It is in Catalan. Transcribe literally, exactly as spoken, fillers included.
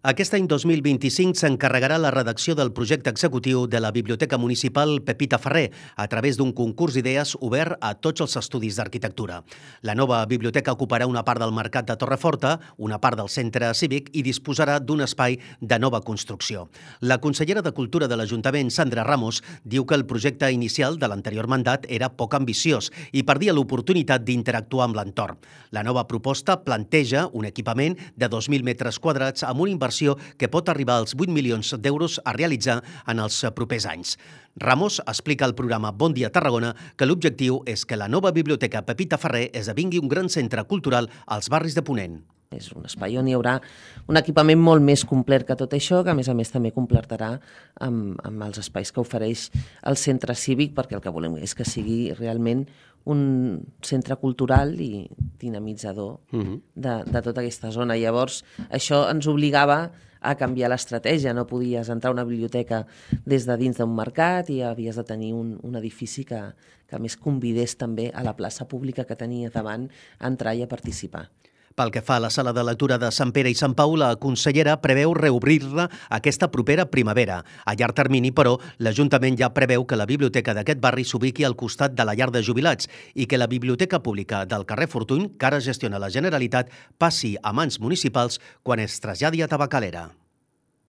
Aquest any dos mil vint-i-cinc s'encarregarà la redacció del projecte executiu de la Biblioteca Municipal Pepita Ferrer a través d'un concurs d'idees obert a tots els estudis d'arquitectura. La nova biblioteca ocuparà una part del mercat de Torreforta, una part del centre cívic i disposarà d'un espai de nova construcció. La consellera de Cultura de l'Ajuntament, Sandra Ramos, diu que el projecte inicial de l'anterior mandat era poc ambiciós i perdia l'oportunitat d'interactuar amb l'entorn. La nova proposta planteja un equipament de dos mil metres quadrats amb una inversió que pot arribar als vuit milions d'euros a realitzar en els propers anys. Ramos explica al programa Bon Dia Tarragona que l'objectiu és que la nova biblioteca Pepita Ferrer esdevingui un gran centre cultural als barris de Ponent. És un espai on hi haurà un equipament molt més complet que tot això, que a més a més també completarà amb, amb els espais que ofereix el centre cívic, perquè el que volem és que sigui realment un centre cultural i dinamitzador uh-huh. de, de tota aquesta zona. Llavors, això ens obligava a canviar l'estratègia. No podies entrar a una biblioteca des de dins d'un mercat i havies de tenir un, un edifici que, que més convidés també a la plaça pública que tenia davant a entrar i a participar. Pel que fa a la sala de lectura de Sant Pere i Sant Pau, la consellera preveu reobrir-la aquesta propera primavera. A llarg termini, però, l'Ajuntament ja preveu que la biblioteca d'aquest barri s'ubiqui al costat de la llar de jubilats i que la biblioteca pública del carrer Fortuny, que ara gestiona la Generalitat, passi a mans municipals quan es traslladi a Tabacalera.